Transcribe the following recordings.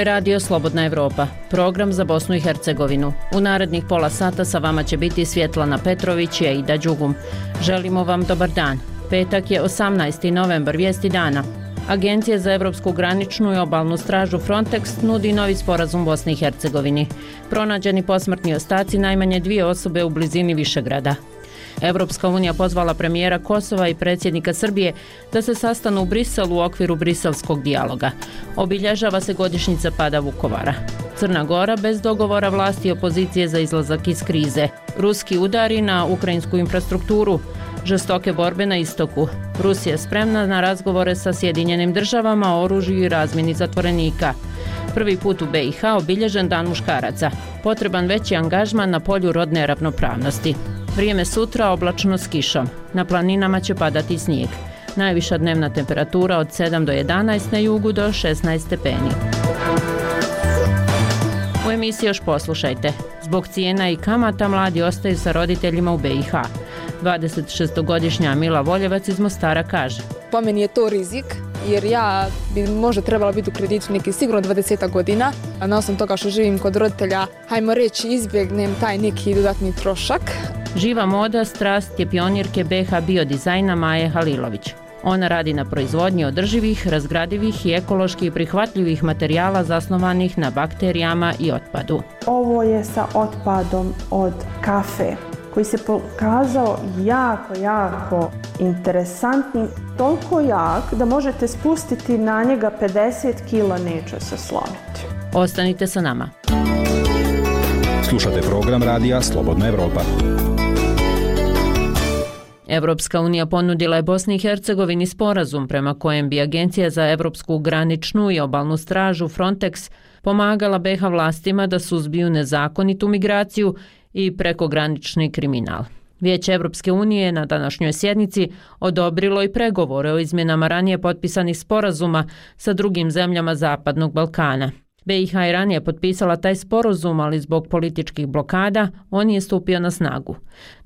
Ovo je Radio Slobodna Evropa, program za Bosnu i Hercegovinu. U narednih pola sata sa vama će biti Svjetlana Petrović i Aida Đugum. Želimo vam dobar dan. Petak je 18. novembar, vijesti dana. Agencija za evropsku graničnu i obalnu stražu Frontex nudi novi sporazum Bosni i Hercegovini. Pronađeni posmrtni ostaci najmanje 2 osobe u blizini Višegrada. Evropska unija pozvala premijera Kosova i predsjednika Srbije da se sastanu u Briselu u okviru briselskog dijaloga. Obilježava se godišnjica pada Vukovara. Crna Gora bez dogovora vlasti i opozicije za izlazak iz krize. Ruski udari na ukrajinsku infrastrukturu. Žestoke borbe na istoku. Rusija spremna na razgovore sa Sjedinjenim državama o oružju i razmjeni zatvorenika. Prvi put u BiH obilježen Dan muškaraca. Potreban veći angažman na polju rodne ravnopravnosti. Vrijeme sutra oblačno s kišom. Na planinama će padati snijeg. Najviša dnevna temperatura od 7 do 11, na jugu do 16 stepeni. U emisiji još poslušajte. Zbog cijena i kamata mladi ostaju sa roditeljima u BiH. 26-godišnja Mila Voljevac iz Mostara kaže: Po meni je to rizik, jer ja bi možda trebala biti u kreditu neki sigurno 20 godina, a na osnovu toga što živim kod roditelja, hajmo reći, izbjegnem taj neki dodatni trošak. Živa moda, strast je pionirke BiH biodizajna Maje Halilović. Ona radi na proizvodnji održivih, razgradivih i ekološki prihvatljivih materijala zasnovanih na bakterijama i otpadu. Ovo je sa otpadom od kafe, koji se pokazao jako interesantnim, toliko jak da možete spustiti na njega 50 kila, neće se slomiti. Ostanite sa nama. Slušate program Radija Slobodna Evropa. Evropska unija ponudila je Bosni i Hercegovini sporazum prema kojem bi Agencija za evropsku graničnu i obalnu stražu Frontex pomagala BiH vlastima da suzbiju nezakonitu migraciju i prekogranični kriminal. Vijeće Evropske unije na današnjoj sjednici odobrilo i pregovore o izmjenama ranije potpisanih sporazuma sa drugim zemljama Zapadnog Balkana. BiH je ranije potpisala taj sporazum, ali zbog političkih blokada on nije stupio na snagu.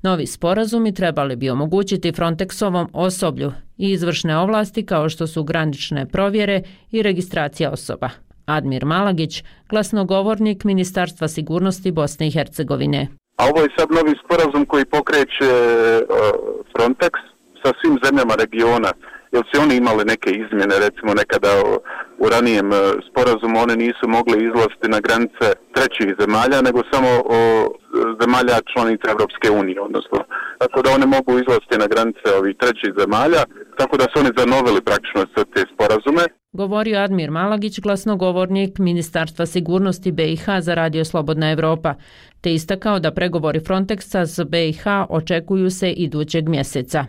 Novi sporazumi trebali bi omogućiti Frontexovom osoblju i izvršne ovlasti kao što su granične provjere i registracija osoba. Admir Malagić, glasnogovornik Ministarstva sigurnosti Bosne i Hercegovine. A ovo je sad novi sporazum koji pokreće Frontex sa svim zemljama regiona. Jer su oni imali neke izmjene, recimo nekada u ranijem sporazumu oni nisu mogli izlaziti na granice trećih zemalja, nego samo zemalja članica Evropske unije, odnosno. Tako da oni mogu izlaziti na granice ovih trećih zemalja, tako da su oni zanovili praktično sve te sporazume. Govorio Admir Malagić, glasnogovornik Ministarstva sigurnosti BiH za Radio Slobodna Evropa, te istakao da pregovori Frontexa s BiH očekuju se idućeg mjeseca.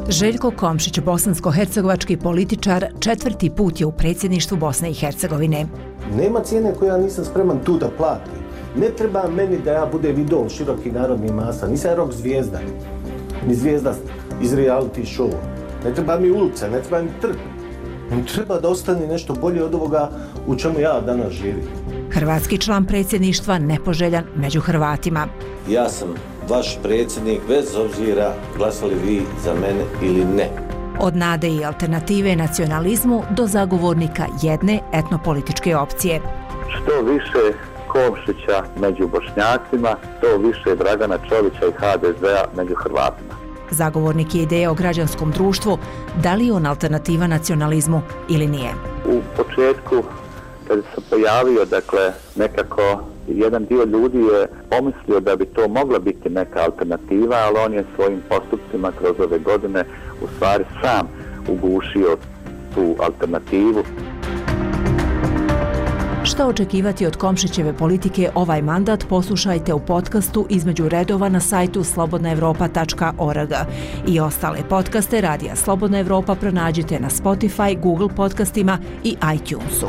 Željko Komšić, bosansko-hercegovački političar, 4. put je u predsjedništvu Bosne i Hercegovine. Nema cijene koju ja nisam spreman tu da platim. Ne treba meni da ja budem idol široki narodni masa. Nisam ja rock zvijezda, ni zvijezda iz reality showa. Ne treba mi ulica, ne treba mi trg. Mi treba da ostane nešto bolje od ovoga u čemu ja danas živim. Hrvatski član predsjedništva nepoželjan među Hrvatima. Ja sam vaš predsjednik bez obzira glasali vi za mene ili ne. Od nade i alternative nacionalizmu do zagovornika jedne etnopolitičke opcije. Što više Komšića među Bošnjacima, to više Dragana Čovića i HDZ-a među Hrvatima. Zagovornik je ideje o građanskom društvu, da li je on alternativa nacionalizmu ili nije. U početku, kad se pojavio, nekako jedan dio ljudi je pomislio da bi to mogla biti neka alternativa, ali on je svojim postupcima kroz ove godine u stvari sam ugušio tu alternativu. Šta očekivati od Komšićeve politike ovaj mandat poslušajte u podcastu Između redova na sajtu slobodnaevropa.org. I ostale podcaste Radija Slobodna Evropa pronađite na Spotify, Google podcastima i iTunesu.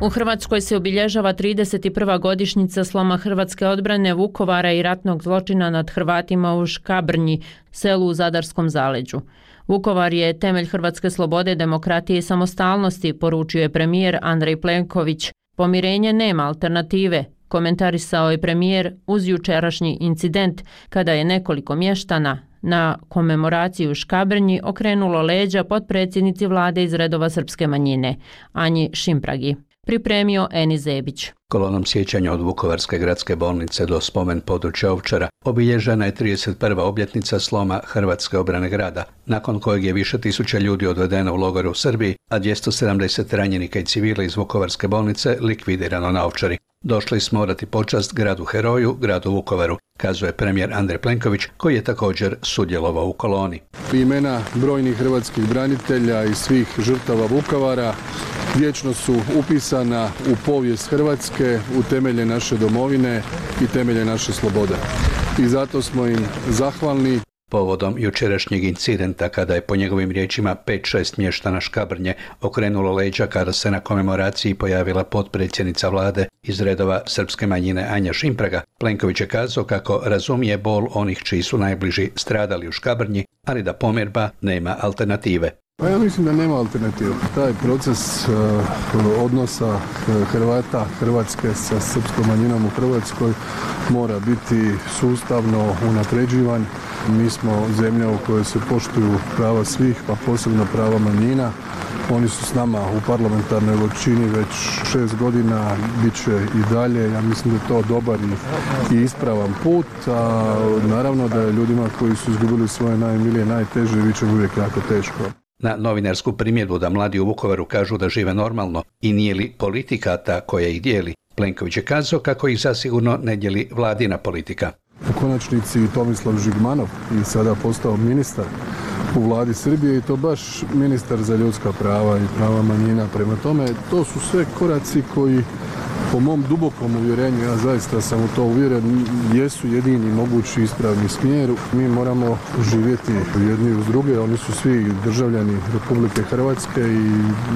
U Hrvatskoj se obilježava 31. godišnjica sloma hrvatske odbrane Vukovara i ratnog zločina nad Hrvatima u Škabrnji, selu u Zadarskom zaleđu. Vukovar je temelj hrvatske slobode, demokratije i samostalnosti, poručio je premijer Andrej Plenković. Pomirenje nema alternative, komentarisao je premijer uz jučerašnji incident kada je nekoliko mještana na komemoraciju u Škabrnji okrenulo leđa potpredsjednici vlade iz redova srpske manjine, Anji Šimpragi. Pripremio Eni Zebić. Kolonom sjećanja od Vukovarske gradske bolnice do spomen područja Ovčara obilježena je 31. obljetnica sloma Hrvatske obrane grada, nakon kojeg je više tisuća ljudi odvedeno u logore u Srbiji, a 270 ranjenika i civila iz Vukovarske bolnice likvidirano na Ovčari. Došli smo odati počast gradu heroju, gradu Vukovaru, kazuje premijer Andrej Plenković, koji je također sudjelovao u koloni. Imena brojnih hrvatskih branitelja i svih žrtava Vukovara vječno su upisana u povijest Hrvatske, u temelje naše domovine i temelje naše slobode. I zato smo im zahvalni. Povodom jučerašnjeg incidenta, kada je po njegovim riječima 5-6 mještana Škabrnje okrenulo leđa kada se na komemoraciji pojavila potpredsjednica vlade iz redova srpske manjine Anja Šimpraga, Plenković je kazao kako razumije bol onih čiji su najbliži stradali u Škabrnji, ali da pomirba nema alternative. Pa ja mislim da nema alternative. Taj proces odnosa Hrvata, Hrvatske sa srpskom manjinom u Hrvatskoj mora biti sustavno unapređivan. Mi smo zemlja u kojoj se poštuju prava svih, pa posebno prava manjina. Oni su s nama u parlamentarnoj većini već 6 godina, bit će i dalje. Ja mislim da je to dobar i ispravan put. A naravno da je ljudima koji su izgubili svoje najmilije, najteže, bit će uvijek jako teško. Na novinarsku primjedbu da mladi u Vukovaru kažu da žive normalno i nije li politika ta koja ih dijeli, Plenković je kazao kako ih zasigurno ne dijeli vladina politika. U konačnici Tomislav Žigmanov i sada postao ministar u vladi Srbije i to baš ministar za ljudska prava i prava manjina. Prema tome, to su sve koraci koji po mom dubokom uvjerenju, ja zaista sam u to uvjeren, jesu jedini mogući ispravni smjer. Mi moramo živjeti jedni uz druge, oni su svi državljani Republike Hrvatske i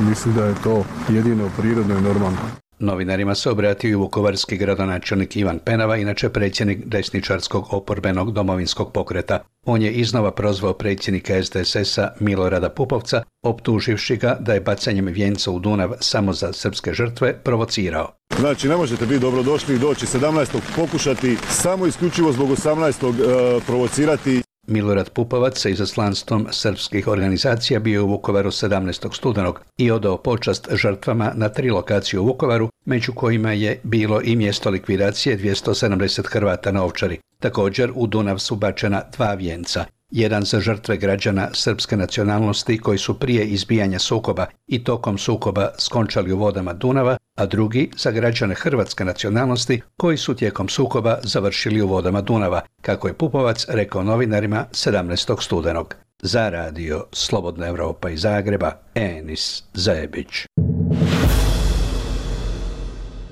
mislim da je to jedino prirodno i normalno. Novinarima se obratio i vukovarski gradonačelnik Ivan Penava, inače predsjednik desničarskog oporbenog domovinskog pokreta. On je iznova prozvao predsjednika SDSS-a Milorada Pupovca, optuživši ga da je bacanjem vijenca u Dunav samo za srpske žrtve provocirao. Znači, ne možete biti dobrodošli i doći 17. pokušati samo isključivo zbog 18. provocirati. Milorad Pupovac sa izaslanstvom srpskih organizacija bio u Vukovaru 17. studenog i odao počast žrtvama na 3 lokacije u Vukovaru, među kojima je bilo i mjesto likvidacije 270 Hrvata na Ovčari. Također u Dunav su bačena 2 vijenca. Jedan za žrtve građana srpske nacionalnosti koji su prije izbijanja sukoba i tokom sukoba skončali u vodama Dunava, a drugi za građane hrvatske nacionalnosti koji su tijekom sukoba završili u vodama Dunava, kako je Pupovac rekao novinarima 17. studenog. Za radio Slobodna Evropa iz Zagreba, Enis Zebić.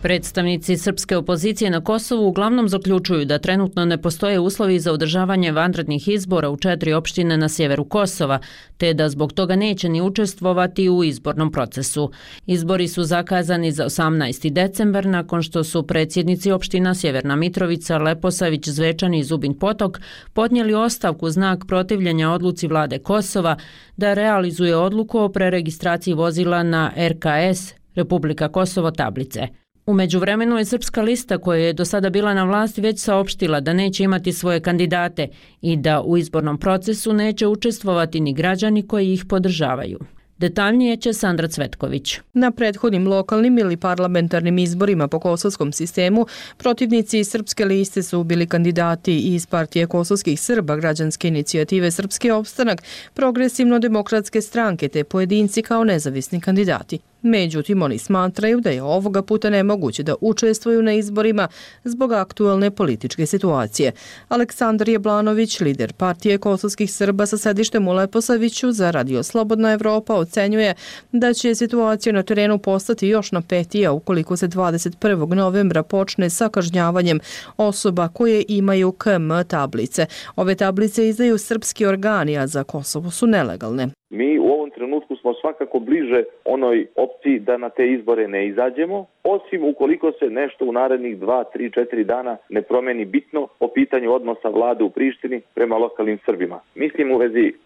Predstavnici srpske opozicije na Kosovu uglavnom zaključuju da trenutno ne postoje uslovi za održavanje vanrednih izbora u 4 opštine na sjeveru Kosova, te da zbog toga neće ni učestvovati u izbornom procesu. Izbori su zakazani za 18. decembar nakon što su predsjednici opština Sjeverna Mitrovica, Leposavić, Zvečan i Zubin Potok podnijeli ostavku znak protivljenja odluci vlade Kosova da realizuje odluku o preregistraciji vozila na RKS Republika Kosovo tablice. U međuvremenu je Srpska lista koja je do sada bila na vlasti već saopštila da neće imati svoje kandidate i da u izbornom procesu neće učestvovati ni građani koji ih podržavaju. Detaljnije će Sandra Cvetković. Na prethodnim lokalnim ili parlamentarnim izborima po kosovskom sistemu protivnici Srpske liste su bili kandidati iz Partije kosovskih Srba, Građanske inicijative Srpski opstanak, Progresivno-demokratske stranke te pojedinci kao nezavisni kandidati. Međutim, oni smatraju da je ovoga puta nemoguće da učestvuju na izborima zbog aktualne političke situacije. Aleksandar Jablanović, lider Partije kosovskih Srba sa sedištem u Leposaviću za Radio Slobodna Evropa, ocenjuje da će situacija na terenu postati još napetija ukoliko se 21. novembra počne sa kažnjavanjem osoba koje imaju KM tablice. Ove tablice izdaju srpski organi, a za Kosovo su nelegalne. Mi u ovom trenutku smo smo svakako bliže onoj opciji da na te izbore ne izađemo, osim ukoliko se nešto u narednih 2, 3, 4 dana ne promeni bitno po pitanju odnosa vlade u Prištini prema lokalnim Srbima. Mislim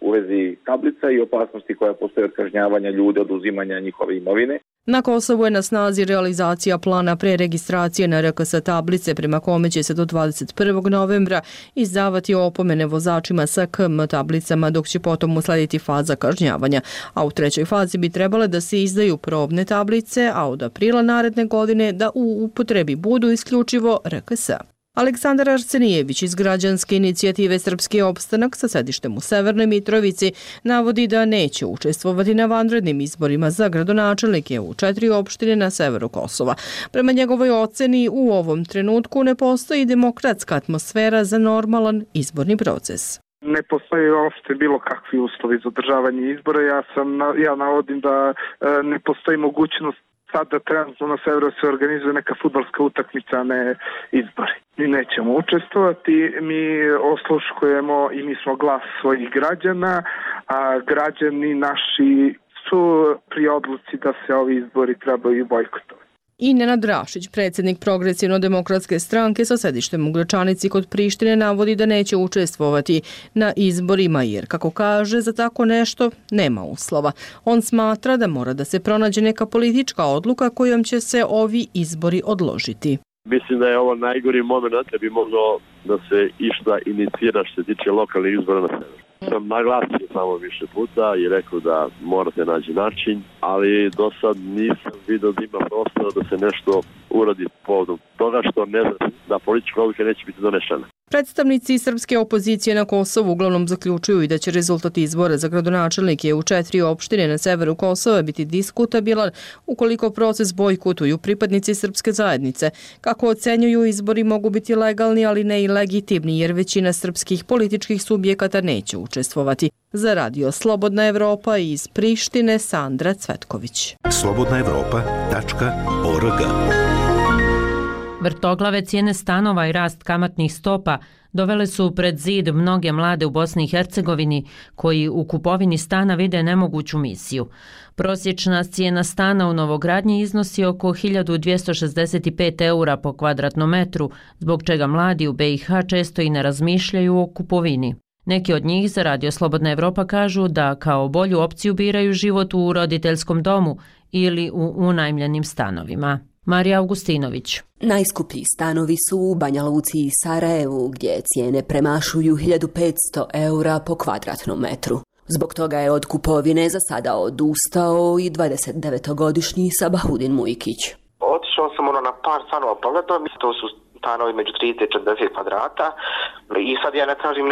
u vezi tablica i opasnosti koja postoje od kažnjavanja ljudi, oduzimanja njihove imovine. Na Kosovu je na snazi realizacija plana preregistracije na RKS tablice prema kome će se do 21. novembra izdavati opomene vozačima sa KM tablicama, dok će potom uslediti faza kažnjavanja. A u trećoj fazi bi trebale da se izdaju probne tablice, a od aprila naredne godine da u upotrebi budu isključivo RKS. Aleksandar Arsenijević iz građanske inicijative Srpski opstanak sa sedištem u Severnoj Mitrovici navodi da neće učestvovati na vanrednim izborima za gradonačelnike u 4 opštine na severu Kosova. Prema njegovoj oceni u ovom trenutku ne postoji demokratska atmosfera za normalan izborni proces. Ne postoji uopšte bilo kakvi uslovi za održavanje izbora. Ja navodim da ne postoji mogućnost sada trenutno na severu se organizuje neka fudbalska utakmica, a ne izbori. Mi nećemo učestvovati, mi osluškujemo i mi smo glas svojih građana, a građani naši su pri odluci da se ovi izbori trebaju bojkotovati. I Nenad Rašić, predsjednik Progresivno-demokratske stranke sa sedištem u Gračanici kod Prištine, navodi da neće učestvovati na izborima jer, kako kaže, za tako nešto nema uslova. On smatra da mora da se pronađe neka politička odluka kojom će se ovi izbori odložiti. Mislim da je ovo najgori moment da bi moglo da se išta inicira što se tiče lokalnih izbora na severu. Sam naglasio samo više puta i rekao da morate naći način, ali do sad nisam vidio da ima prostora da se nešto uradi povodom toga što ne znam da politička odluka neće biti donešena. Predstavnici srpske opozicije na Kosovu uglavnom zaključuju i da će rezultat izbora za gradonačelnike u 4 opštine na severu Kosova biti diskutabilan ukoliko proces bojkotuju pripadnici srpske zajednice. Kako ocenjuju, izbori mogu biti legalni, ali ne i legitimni, jer većina srpskih političkih subjekata neće učestvovati. Za radio Slobodna Evropa iz Prištine, Sandra Cvetković. slobodnaevropa.org. Vrtoglave cijene stanova i rast kamatnih stopa dovele su pred zid mnoge mlade u Bosni i Hercegovini koji u kupovini stana vide nemoguću misiju. Prosječna cijena stana u novogradnji iznosi oko 1265 eura po kvadratnom metru, zbog čega mladi u BiH često i ne razmišljaju o kupovini. Neki od njih za radio Slobodna Evropa kažu da kao bolju opciju biraju život u roditeljskom domu ili u unajmljenim stanovima. Marija Augustinović. Najskuplji stanovi su u Banja Luci i Sarajevu, gdje cijene premašuju 1500 eura po kvadratnom metru. Zbog toga je od kupovine za sada odustao i 29-godišnji Sabahudin Mujkić. Otišao sam na par stanova pogledao, to su stanovi među 30 i 40 kvadrata i sad ja ne tražim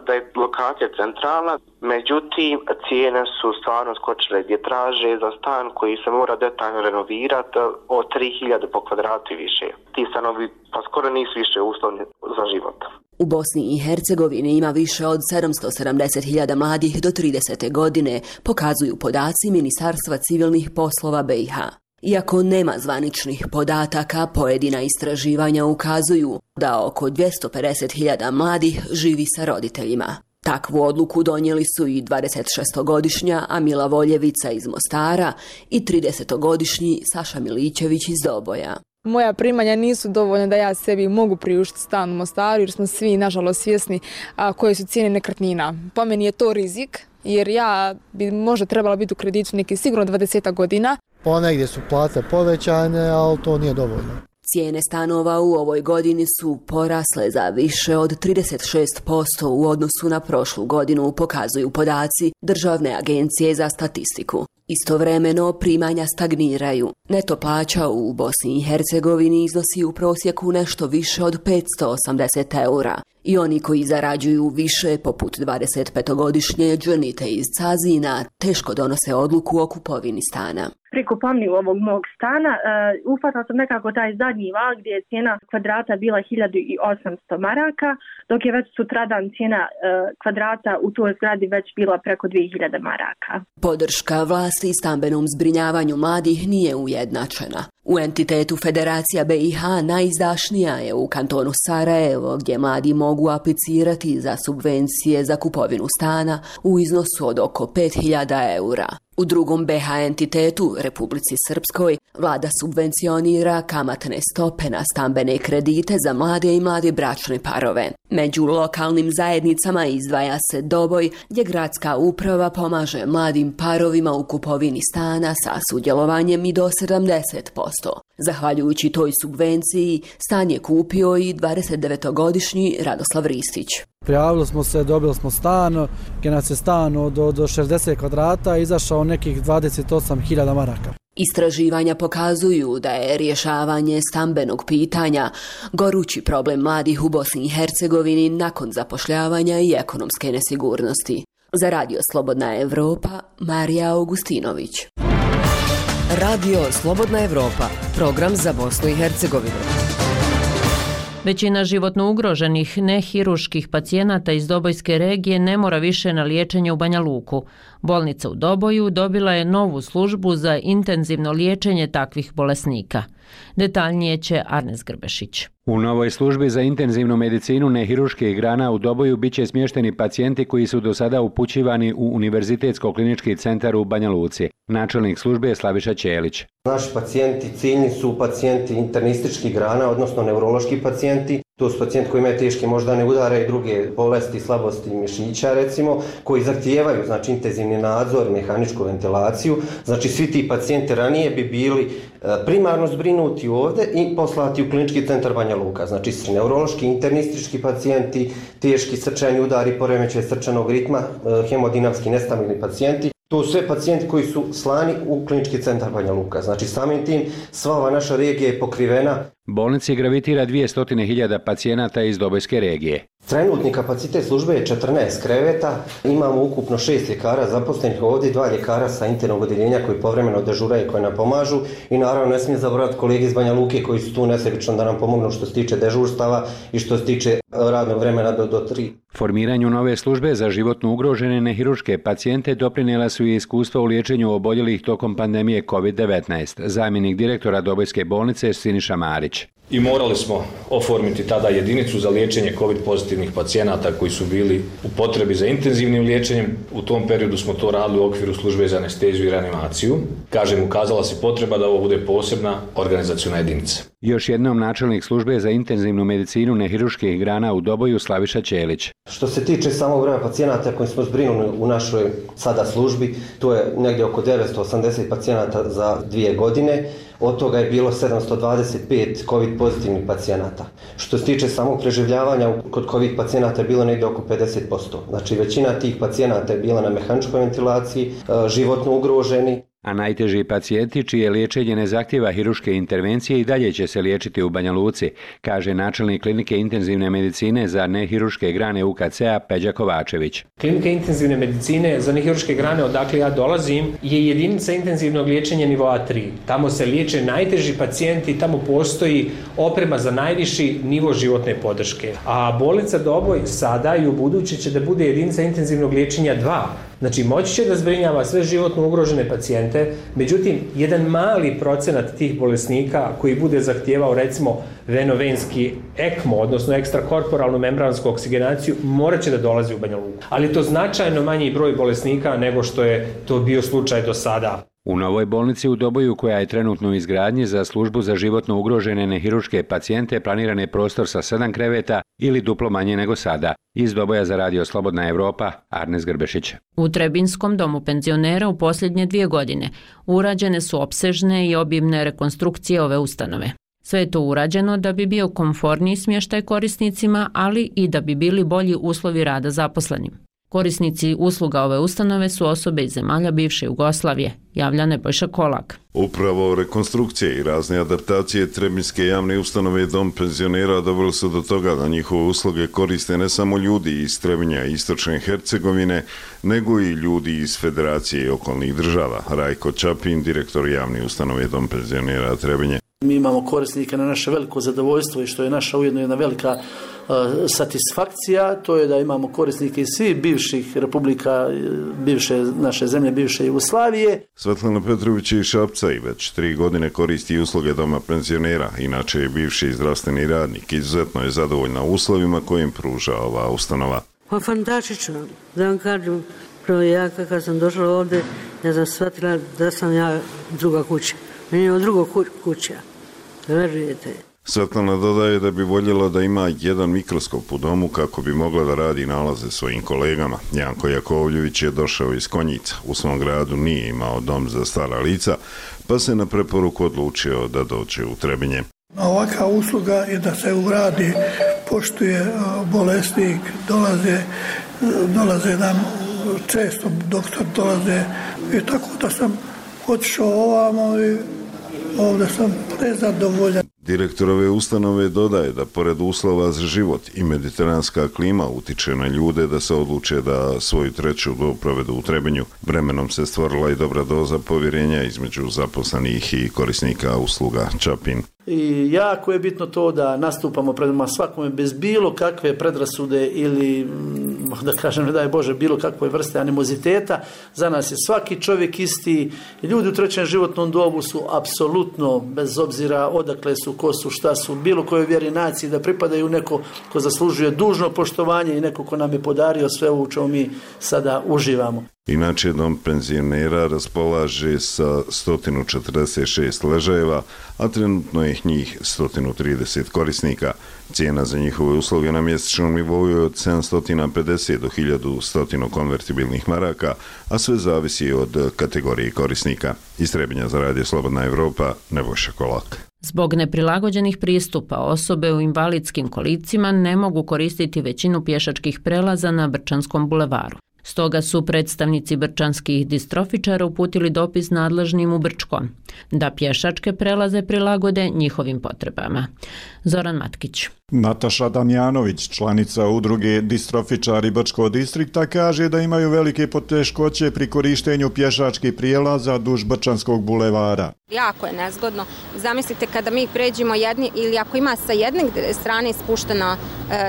da je lokacija centralna, međutim cijene su stvarno skočile gdje traže za stan koji se mora detaljno renovirati od 3000 po kvadratu i više. Ti stanovi pa skoro nisu više uslovni za život. U Bosni i Hercegovini ima više od 770.000 mladih do 30. godine, pokazuju podaci Ministarstva civilnih poslova BiH. Iako nema zvaničnih podataka, pojedina istraživanja ukazuju da oko 250.000 mladih živi sa roditeljima. Takvu odluku donijeli su i 26-godišnja Amila Voljevica iz Mostara i 30-godišnji Saša Milićević iz Doboja. Moja primanja nisu dovoljna da ja sebi mogu priuštiti stan u Mostaru jer smo svi nažalost svjesni koje su cijene nekretnina. Po meni je to rizik jer ja bi možda trebala biti u kreditu neki sigurno 20 godina. Ponegdje su plate povećane, ali to nije dovoljno. Cijene stanova u ovoj godini su porasle za više od 36% u odnosu na prošlu godinu, pokazuju podaci Državne agencije za statistiku. Istovremeno primanja stagniraju. Neto plaća u Bosni i Hercegovini iznosi u prosjeku nešto više od 580 eura. I oni koji zarađuju više, poput 25-godišnje Džanite iz Cazina, teško donose odluku o kupovini stana. Pri kupovini ovog mog stana uhvatila sam nekako taj zadnji val gdje je cijena kvadrata bila 1800 maraka, dok je već sutradan cijena kvadrata u toj zgradi već bila preko 2000 maraka. Podrška vlasti stambenom zbrinjavanju mladih nije ujednačena. U entitetu Federacija BiH najizdašnija je u kantonu Sarajevo, gdje mladi mogu aplicirati za subvencije za kupovinu stana u iznosu od oko 5.000 eura. U drugom BiH entitetu, Republici Srpskoj, vlada subvencionira kamatne stope na stambene kredite za mlade i mlade bračne parove. Među lokalnim zajednicama izdvaja se Doboj, gdje gradska uprava pomaže mladim parovima u kupovini stana sa sudjelovanjem i do 70%. Zahvaljujući toj subvenciji, stan je kupio i 29-godišnji Radoslav Ristić. Prijavili smo se, dobili smo stan, gdje nas je stan od 60 kvadrata izašao nekih 28.000 maraka. Istraživanja pokazuju da je rješavanje stambenog pitanja gorući problem mladih u Bosni i Hercegovini nakon zapošljavanja i ekonomske nesigurnosti. Za Radio Slobodna Evropa, Marija Augustinović. Radio Slobodna Evropa, program za Bosnu i Hercegovinu. Većina životno ugroženih nehiruških pacijenata iz Dobojske regije ne mora više na liječenje u Banja Luku. Bolnica u Doboju dobila je novu službu za intenzivno liječenje takvih bolesnika. Detaljnije će Arnes Grbešić. U novoj službi za intenzivnu medicinu nehiruških grana u Doboju biće smješteni pacijenti koji su do sada upućivani u Univerzitetsko-klinički centar u Banja Luci. Načelnik službe je Slaviša Ćelić. Naši pacijenti ciljni su pacijenti internističkih grana, odnosno neurološki pacijenti. To su pacijenti koji imaju teške moždane udare i druge bolesti, slabosti mišića recimo, koji zahtijevaju intenzivni nadzor, mehaničku ventilaciju. Svi ti pacijenti ranije bi bili primarno zbrinuti ovdje i poslati u klinički centar Banja Luka. Neurološki, internistički pacijenti, teški srčani udari, poremećaj srčanog ritma, hemodinamski nestabilni pacijenti. To su sve pacijenti koji su slani u klinički centar Banja Luka. Samim tim sva ova naša regija je pokrivena. Bolnici gravitira 200.000 pacijenata iz Dobojske regije. Trenutni kapacitet službe je 14 kreveta, imamo ukupno 6 ljekara zaposlenih ovdje, 2 ljekara sa internog odjeljenja koji povremeno dežuraju i koji nam pomažu i naravno ne smije zaboraviti kolege iz Banja Luke koji su tu nesebično da nam pomognu što se tiče dežurstava i što se tiče radnog vremena do 3. Formiranju nove službe za životno ugrožene nehiruške pacijente doprinijela su i iskustva u liječenju oboljelih tokom pandemije COVID-19, zamjenik direktora Dobojske bolnice Siniša Marić. I morali smo oformiti tada jedinicu za liječenje COVID pozitivnih pacijenata koji su bili u potrebi za intenzivnim liječenjem. U tom periodu smo to radili u okviru službe za anesteziju i reanimaciju. Kažem, ukazala se potreba da ovo bude posebna organizaciona jedinica. Još jednom načelnik službe za intenzivnu medicinu nehiruških grana u Doboju Slaviša Ćelić. Što se tiče samog broja pacijenata koji smo zbrinuli u našoj sada službi, to je negdje oko 980 pacijenata za 2 godine. Od toga je bilo 725 COVID pozitivnih pacijenata. Što se tiče samog preživljavanja kod COVID pacijenata je bilo negdje oko 50%. Većina tih pacijenata je bila na mehaničkoj ventilaciji, životno ugroženi. A najteži pacijenti čije liječenje ne zahtjeva hiruške intervencije i dalje će se liječiti u Banja Luci, kaže načelnik klinike intenzivne medicine za nehiruške grane UKC-a Peđa Kovačević. Klinika intenzivne medicine za nehiruške grane, odakle ja dolazim, je jedinica intenzivnog liječenja nivoa 3. Tamo se liječe najteži pacijenti i tamo postoji oprema za najviši nivo životne podrške. A bolnica Doboj sada i u buduće će da bude jedinica intenzivnog liječenja 2. Moći će da zbrinjava sve životno ugrožene pacijente, međutim, jedan mali procenat tih bolesnika koji bude zahtijevao recimo venovenski ECMO, odnosno ekstrakorporalnu membransku oksigenaciju, morat će da dolazi u Banja Luku. Ali to značajno manji broj bolesnika nego što je to bio slučaj do sada. U novoj bolnici u Doboju, koja je trenutno u izgradnji za službu za životno ugrožene nehiruške pacijente, planiran je prostor sa 7 kreveta ili duplo manje nego sada. Iz Doboja za Radio Slobodna Evropa, Arnes Grbešić. U Trebinskom domu penzionera u posljednje 2 godine urađene su opsežne i obimne rekonstrukcije ove ustanove. Sve je to urađeno da bi bio komforniji smještaj korisnicima, ali i da bi bili bolji uslovi rada zaposlenim. Korisnici usluga ove ustanove su osobe iz zemalja bivše Jugoslavije, javlja Nebojša Kolak. Upravo rekonstrukcije i razne adaptacije Trebinjske javne ustanove Dom penzionera doveli su do toga da njihove usluge koriste ne samo ljudi iz Trebinja i Istočne Hercegovine, nego i ljudi iz Federacije i okolnih država. Rajko Čapin, direktor javne ustanove Dom penzionera Trebinje. Mi imamo korisnike na naše veliko zadovoljstvo i što je naša ujedno jedna velika satisfakcija, to je da imamo korisnike iz svih bivših republika, bivše naše zemlje, bivše Jugoslavije. Svetlana Petrović iz Šapca i već 3 godine koristi usluge doma penzionera, inače je bivši zdravstveni radnik. Izuzetno je zadovoljna uslovima kojim pruža ova ustanova. Pa fantastično, da vam kažem, prvo ja kad sam došla ovdje, ja sam shvatila da sam ja druga kuća. Meni je druga kuća, verujete. Svetlana dodaje da bi voljela da ima jedan mikroskop u domu kako bi mogla da radi nalaze svojim kolegama. Janko Jakovljević je došao iz Konjica. U svom gradu nije imao dom za stara lica, pa se na preporuku odlučio da dođe u Trebinje. Ovaka usluga je da se uradi, poštuje bolesnik, dolaze nam često, doktor dolaze i tako da sam otišao ovamo i ovdje sam prezadovoljan. Direktor ove ustanove dodaje da pored uslova za život i mediteranska klima utiče na ljude da se odluče da svoju treću dob provedu u Trebinju. Vremenom se stvorila i dobra doza povjerenja između zaposlenih i korisnika usluga Čapin. I jako je bitno to da nastupamo prema svakome bez bilo kakve predrasude ili, da kažem, ne daj Bože, bilo kakve vrste animoziteta. Za nas je svaki čovjek isti. Ljudi u trećem životnom dobu su apsolutno, bez obzira odakle su, ko su, šta su, bilo kojoj vjeri, naciji, da pripadaju neko ko zaslužuje dužno poštovanje i neko ko nam je podario sve ovo u čemu mi sada uživamo. Inače, dom penzionera raspolaže sa 146 ležajeva, a trenutno je njih 130 korisnika. Cijena za njihove usluge na mjesečnom nivou je od 750 do 1100 konvertibilnih maraka, a sve zavisi od kategorije korisnika. Iz Trebinja za Radio Slobodna Evropa, Nebojša Kolak. Zbog neprilagođenih pristupa osobe u invalidskim kolicima ne mogu koristiti većinu pješačkih prelaza na Brčanskom bulevaru. Stoga su predstavnici brčanskih distrofičara uputili dopis nadležnim u Brčkom da pješačke prelaze prilagode njihovim potrebama. Zoran Matkić. Nataša Damjanović, članica udruge Distrofičari Brčkog distrikta, kaže da imaju velike poteškoće pri korištenju pješačkih prijelaza duž Brčanskog bulevara. Jako je nezgodno. Zamislite kada mi pređemo jedni ili ako ima sa jedne strane ispuštena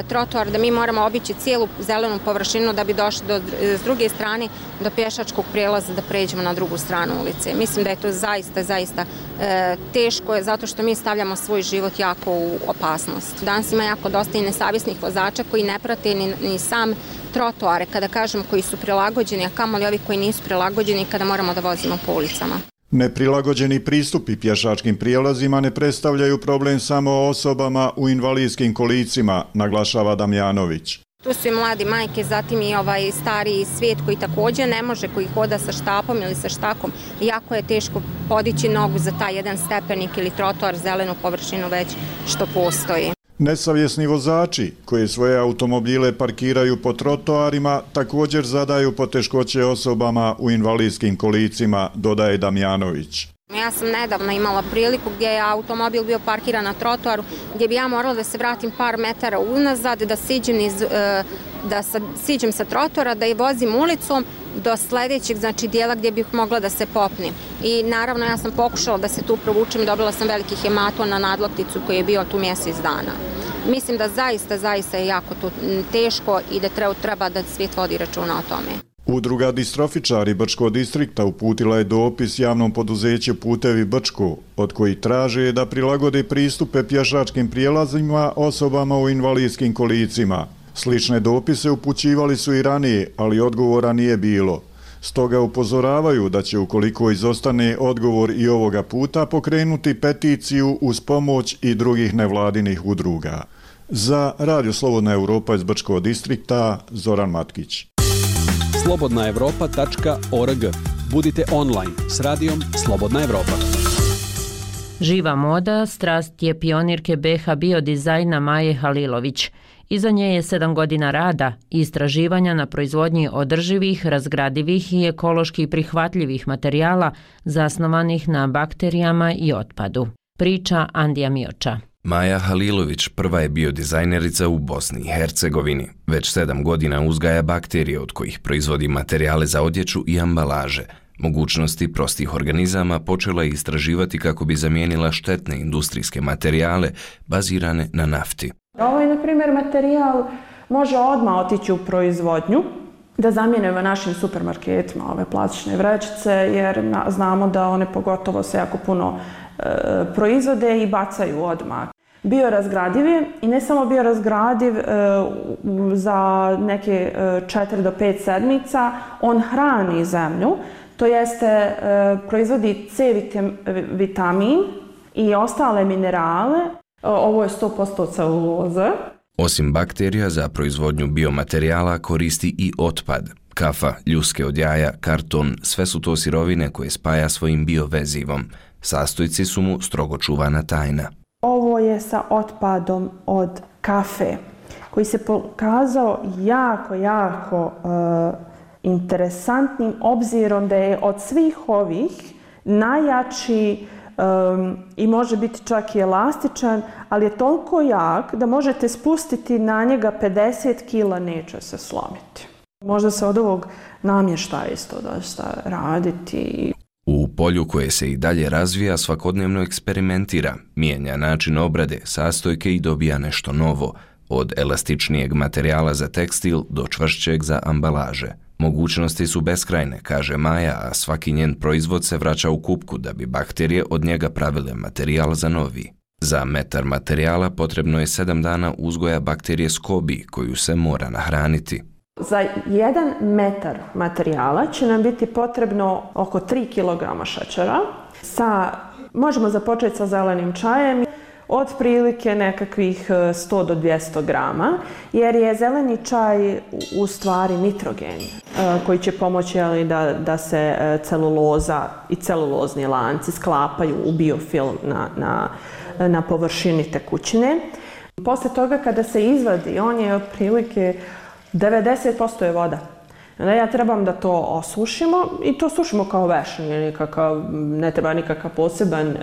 trotoar da mi moramo obići cijelu zelenu površinu da bi došli s druge strane do pješačkog prijelaza da pređemo na drugu stranu ulice. Mislim da je to zaista teško je zato što mi stavljamo svoj život jako u opasnost. Danas ima jako dosta i nesavjesnih vozača koji ne prate ni sam trotoare, kada kažem koji su prilagođeni, a kamoli ovi koji nisu prilagođeni kada moramo da vozimo po ulicama. Neprilagođeni pristupi pješačkim prijelazima ne predstavljaju problem samo osobama u invalidskim kolicima, naglašava Damjanović. Tu su i mladi majke, zatim i stariji svijet koji također ne može, koji hoda sa štapom ili sa štakom. Jako je teško podići nogu za taj jedan stepenik ili trotoar, zelenu površinu već što postoji. Nesavjesni vozači koji svoje automobile parkiraju po trotoarima također zadaju poteškoće osobama u invalidskim kolicima, dodaje Damjanović. Ja sam nedavno imala priliku gdje je automobil bio parkiran na trotoaru, gdje bi ja morala da se vratim par metara unazad, da siđem sa trotoara, da je vozim ulicom do sljedećeg dijela gdje bih mogla da se popnem. I naravno ja sam pokušala da se tu provučem, dobila sam veliki hematom na nadlakticu koji je bio tu mjesec dana. Mislim da zaista je jako tu teško i da treba da svijet vodi računa o tome. Udruga Distrofičari Brčkog distrikta uputila je dopis javnom poduzeću Putevi Brčko, od koji traže da prilagode pristupe pješačkim prijelazima osobama u invalidskim kolicima. Slične dopise upućivali su i ranije, ali odgovora nije bilo. Stoga upozoravaju da će, ukoliko izostane odgovor i ovoga puta, pokrenuti peticiju uz pomoć i drugih nevladinih udruga. Za Radio Slobodna Evropa iz Brčkog distrikta, Zoran Matkić. slobodnaevropa.org. Budite online s radijom Slobodna Evropa. Živa moda, strast je pionirke BH biodizajna Maje Halilović. Iza nje je 7 godina rada i istraživanja na proizvodnji održivih, razgradivih i ekološki prihvatljivih materijala zasnovanih na bakterijama i otpadu. Priča Andija Mioča. Maja Halilović prva je biodizajnerica u Bosni i Hercegovini. Već 7 godina uzgaja bakterije od kojih proizvodi materijale za odjeću i ambalaže. Mogućnosti prostih organizama počela je istraživati kako bi zamijenila štetne industrijske materijale bazirane na nafti. Ovaj, na primjer, materijal može odmah otići u proizvodnju, da zamijenimo našim supermarketima ove plastične vrećice, jer znamo da one pogotovo se jako puno proizvode i bacaju odmah. Biorazgradiv je i ne samo biorazgradiv za neke 4 do 5 sedmica, on hrani zemlju, to jeste proizvodi C vitamin i ostale minerale. Ovo je 100% celuloza. Osim bakterija, za proizvodnju biomaterijala koristi i otpad. Kafa, ljuske od jaja, karton, sve su to sirovine koje spaja svojim biovezivom. Sastojci su mu strogo čuvana tajna. Ovo je sa otpadom od kafe, koji se pokazao jako interesantnim, obzirom da je od svih ovih najjači i može biti čak i elastičan, ali je toliko jak da možete spustiti na njega 50 kila, neće se slomiti. Možda se od ovog namještaja isto dosta raditi. U polju koje se i dalje razvija svakodnevno eksperimentira, mijenja način obrade, sastojke i dobija nešto novo, od elastičnijeg materijala za tekstil do čvršćeg za ambalaže. Mogućnosti su beskrajne, kaže Maja, a svaki njen proizvod se vraća u kupku da bi bakterije od njega pravile materijal za novi. Za metar materijala potrebno je 7 dana uzgoja bakterije SCOBY koju se mora nahraniti. Za 1 metar materijala će nam biti potrebno oko 3 kg šećera. Možemo započeti sa zelenim čajem, otprilike nekakvih 100 do 200 grama, jer je zeleni čaj u stvari nitrogen koji će pomoći da se celuloza i celulozni lanci sklapaju u biofilm na površini tekućine. Poslije toga kada se izvadi, on je otprilike 90% je voda. Onda ja trebam da to osušimo i to sušimo kao veš, ne treba nikakav poseban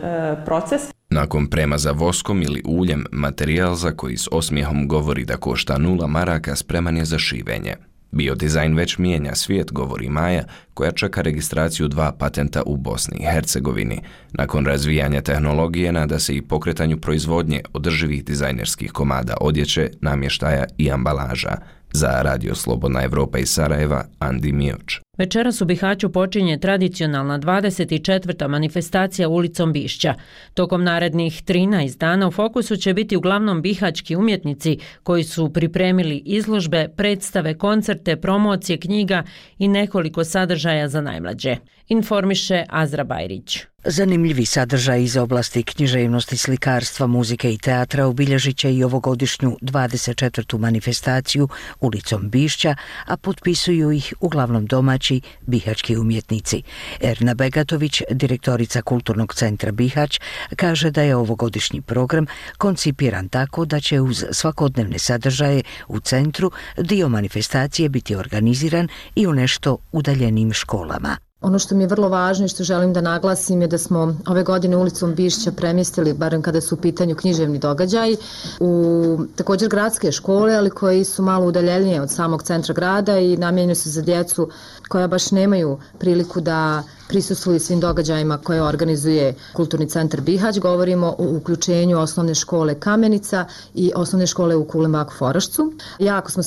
proces. Nakon premaza voskom ili uljem, materijal za koji s osmijehom govori da košta 0 maraka spreman je za šivenje. Biodizajn već mijenja svijet, govori Maja, koja čeka registraciju 2 patenta u Bosni i Hercegovini. Nakon razvijanja tehnologije nada se i pokretanju proizvodnje održivih dizajnerskih komada odjeće, namještaja i ambalaža. Za Radio Slobodna Evropa iz Sarajeva, Andi Mioč. Večeras u Bihaću počinje tradicionalna 24. manifestacija ulicom Bišća. Tokom narednih 13 dana u fokusu će biti uglavnom bihaćki umjetnici koji su pripremili izložbe, predstave, koncerte, promocije knjiga i nekoliko sadržaja za najmlađe. Informiše Azra Bajrić. Zanimljivi sadržaj iz oblasti književnosti, slikarstva, muzike i teatra obilježit će i ovogodišnju 24. manifestaciju ulicom Bišća, a potpisuju ih uglavnom domaći bihaćki umjetnici. Erna Begatović, direktorica Kulturnog centra Bihać, kaže da je ovogodišnji program koncipiran tako da će uz svakodnevne sadržaje u centru dio manifestacije biti organiziran i u nešto udaljenim školama. Ono što mi je vrlo važno i što želim da naglasim je da smo ove godine ulicom Bišća premjestili, barem kada su u pitanju književni događaji, u također gradske škole, ali koji su malo udaljenije od samog centra grada i namijenjeni su za djecu koja baš nemaju priliku da prisustvuju svim događajima koje organizuje Kulturni centar Bihać. Govorimo o uključenju osnovne škole Kamenica i osnovne škole u Kulimak Forašcu. Jako smo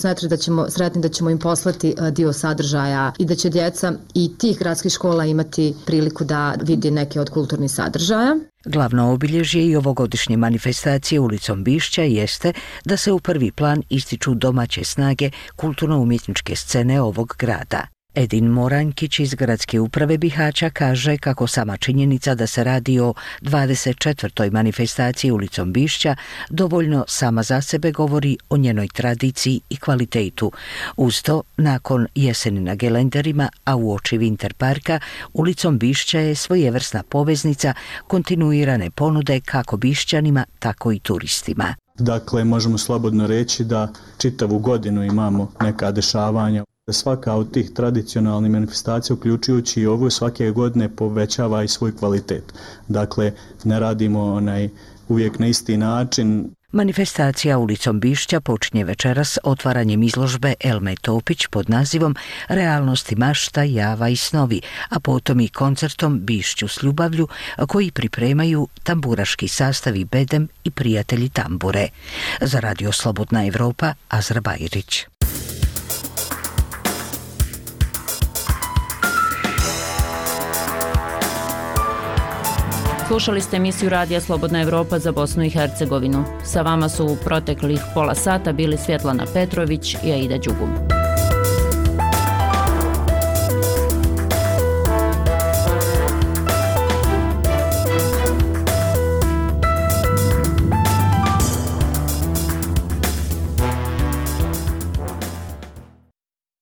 sretni da ćemo im poslati dio sadržaja i da će djeca i tih gradskih škola imati priliku da vidi neke od kulturnih sadržaja. Glavno obilježje i ovogodišnje manifestacije ulicom Bišća jeste da se u prvi plan ističu domaće snage kulturno-umjetničke scene ovog grada. Edin Morankić iz Gradske uprave Bihaća kaže kako sama činjenica da se radi o 24. manifestaciji ulicom Bišća dovoljno sama za sebe govori o njenoj tradiciji i kvalitetu. Uz to, nakon jeseni na gelenderima, a uoči Winter parka, ulicom Bišća je svojevrsna poveznica kontinuirane ponude kako Bišćanima, tako i turistima. Dakle, možemo slobodno reći da čitavu godinu imamo neka dešavanja. Svaka od tih tradicionalnih manifestacija, uključujući i ovu, svake godine povećava i svoj kvalitet. Dakle, ne radimo uvijek na isti način. Manifestacija ulicom Bišća počinje večeras otvaranjem izložbe Elme Topić pod nazivom Realnosti mašta, java i snovi, a potom i koncertom Bišću s ljubavlju koji pripremaju tamburaški sastavi Bedem i prijatelji tambure. Za Radio Slobodna Evropa, Azra Bajrić. Slušali ste emisiju Radija Slobodna Evropa za Bosnu i Hercegovinu. Sa vama su u proteklih pola sata bili Svjetlana Petrović i Aida Đugum.